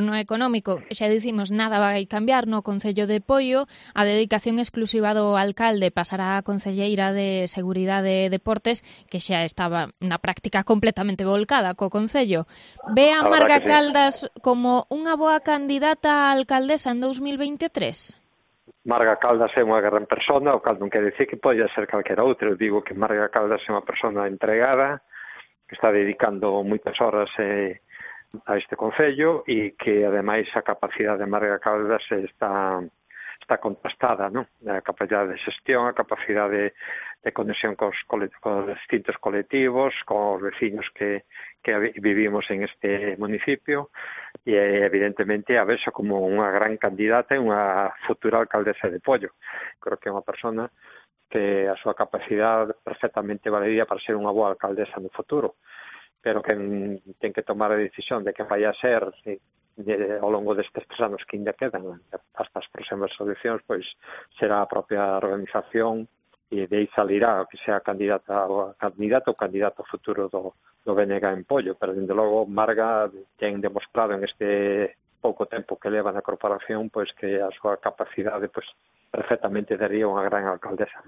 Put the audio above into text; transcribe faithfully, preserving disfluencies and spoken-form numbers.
No económico, xa dicimos, nada vai cambiar no Concello de Poio, a dedicación exclusiva do alcalde pasará á concelleira de Seguridade e Deportes, que xa estaba na práctica completamente volcada co Concello. Ve a Marga Caldas como unha boa candidata a alcaldesa en dous mil veintitrés? Marga Caldas é unha gran persona, o cal non quer dicir que polla ser calquera outra. Eu digo que Marga Caldas é unha persona entregada, que está dedicando moitas horas eh, a este Concello e que, ademais, a capacidade de Marga Caldas está, está contrastada, non? A capacidade de xestión, a capacidade de conexión cos, cos distintos colectivos, cos veciños que, que vivimos en este municipio e, evidentemente, a verse como unha gran candidata e unha futura alcaldesa de Poio. Creo que é unha persona que a súa capacidade perfectamente valería para ser unha boa alcaldesa no futuro, pero que ten que tomar a decisión de que vai a ser de, de, ao longo destes tres anos que ainda quedan hasta as próximas eleccións, pois será a propia organización e de aí salirá que sea candidata ou candidato ou candidato futuro do, do B N G en Poio, pero dende logo Marga ten demostrado en este pouco tempo que leva na corporación pois que a súa capacidade pois perfectamente daría unha gran alcaldesa.